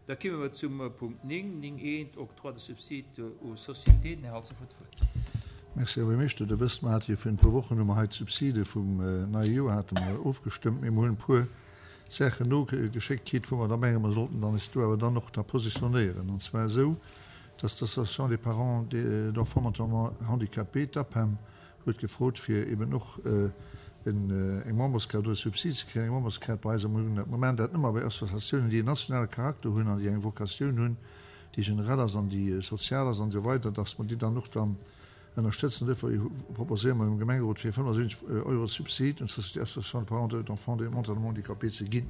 Da kimme mer zum Punkt 9, 9 eent, Octroi de subsides aux sociétés. Den Här Halsdorf huet d'Wuert. Merci, Här Buergermeeschter. Der wësst, mer hate jo virun e puer Wochen hu mer hei d'Subside vum neie Joer hate mer ofgestëmmt. Mee mer hunn e puer Saachen nogeschéckt kritt, wou mer da mengen, mer sollten dann eis do awer dann och da positionéieren. An zwar esou, dass d'Association des parents d'enfants mentalement handicapés, d'APEM, huet gefrot fir eben och eng Memberskaart oder e Subsid ze kréien, eng Memberskaart bei eis. A mir hunn dat, mir maachen dat nëmme bei Associatiounen, déi en nationale Charakter hunn an déi eng Vocatioun hunn, déi generell ass an déi sozial ass an esou weider, dass mer déi dann och dann ënnerstëtzen. Duerfir proposéiere mer dem Gemengerot fir 75 Euro Subsid un d'Société Association de parents d'enfants mentalement handicapés ze ginn.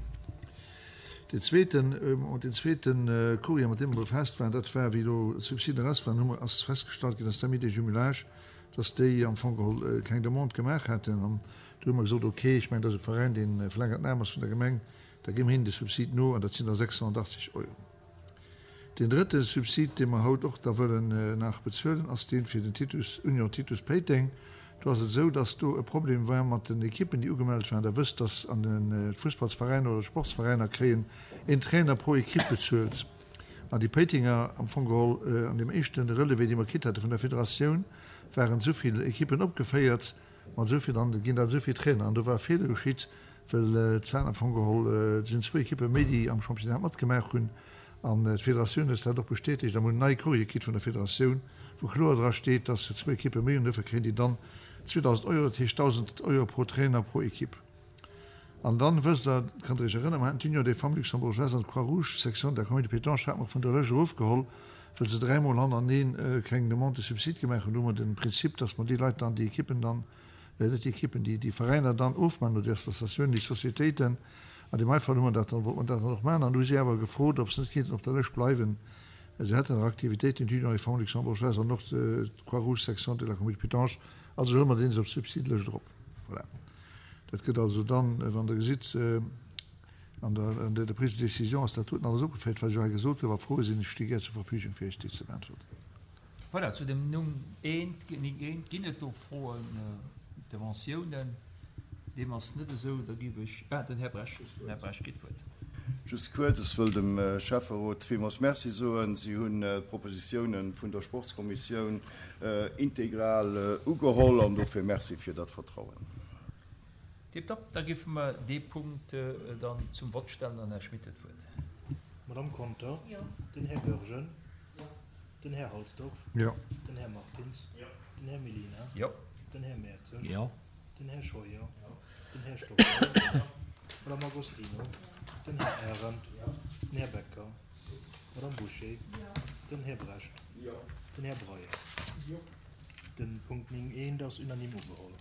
Deen zweeten, deen zweete Courrier, mat deem mer befaasst waren, dat war, wéi elo d'Subsiden eraus waren, hu mer, ass festgestallt ginn, dass d'Amis des Jumelages, dass déi am Fong geholl keng Demande gemaach hätten. An du hu mer gesot, okay, ech mengen, dat ass e Veräin, dee verlängert Naam ass vun der Gemeng, da gi mer hinnen de Subsid no, an dat sinn da 680 Euro. Deen drëtte Subsid, dee mer haut och da wëllen nach bezuelen, ass dee fir den Titus, Union Titus Péiteng. Do ass et esou, dass do e Problem war mat den Ekippen, déi ugemellt waren. Der wësst, dass an de Fussballsveräiner oder Sportsveräiner kréien een Trainer pro Ekipp bezuelt. An déi Péitenger, am Fong geholl an deem éischte Relevé, dee mer kritt hate vun der Federatioun, waren esou vill Ekippen opgeféiert, mat esou vill, an et ginn der esou vill Trainer. An do war e Feeler geschitt, well et waren am Fong geholl, et sinn zwou Ekippe méi, déi am Championnat matgemaach hunn. An d'Federatioun huet dat och bestätegt. A mer hunn en neie Courrier kritt vun der Federatioun, wou kloer dra steet, dass se zwou Ekippe méi hunn. Dofir kréien déi dann 2.000 Euro, dat heescht 1.000 Euro pro Trainer pro Ekipp. An dann, wësst Der, kënnt Der Iech erënneren, mer haten d'Union des Femmes Luxembourgeoises an d'Croix-Rouge, Section de la Commune de Pétange, hate mer vun der Lëscht erofgeholl, well se dräimol hannereneen keng Demande de subside gemaach hunn. Do hu mer de Prinzip, dass mer déi Leit dann, déi Ekippen dann, net déi Ekippen, déi, déi Veräiner dann ofmaachen, oder déi Associatiounen, déi Sociétéiten. An deem hei Fall hu mer dat dann, wollte mer dat dann och maachen. An du hu si awer gefrot, ob se net kéinten op der Lëscht bleiwen. Se hätten nach Aktivitéiten, d'Union des Femmes Luxembourgeoises an och d'Croix-Rouge, Section de la Commune de Pétange. Also huele mer deen se op d'Subsidelëscht erop. Voilà. Dat gëtt also dann, wann Der gesitt, an der, an der Prise de décision ass dat doten alles opgeféiert, wat ech elo hei gesot hunn. Wa Froe sinn, ech sti gär zur Verfügung, fir Iech déi ze beäntwerten. Voilà, zu dem Numm eent, Numm eent, ginn et do Froen, Interventiounen? Deem ass net esou. Da géif ech, ah, den Här Bresch, den Här Bresch kritt d'Wuert. Just kuerz, Ech wëll dem Schäfferot villmools Merci soen. Si hunn d'Propositiounen vun der Sportskommissioun integral ugeholl an dofir Merci fir dat Vertrauen. Tiptop, da géife mer dee Punkt dann zum Vott stellen an Här Schmit huet d'Wuert. D'Madame Conter? Jo. Den Här Goergen? Jo. Den Här Halsdorf? Jo. Den Här Martins? Jo. Den Här Mellina? Jo. Den Här Merzel? Jo. Den Här Scheuer? Jo. Den Här Stoffel? Jo. D'Madame Agostino? Jo. Den Här Arendt? Jo. Den Här Becker? Jo. D'Madame Bouché? Jo. Den Här Brecht? Jo. Den Här Breyer? Jo. Den Punkt 9 eent ass unanime ugeholl.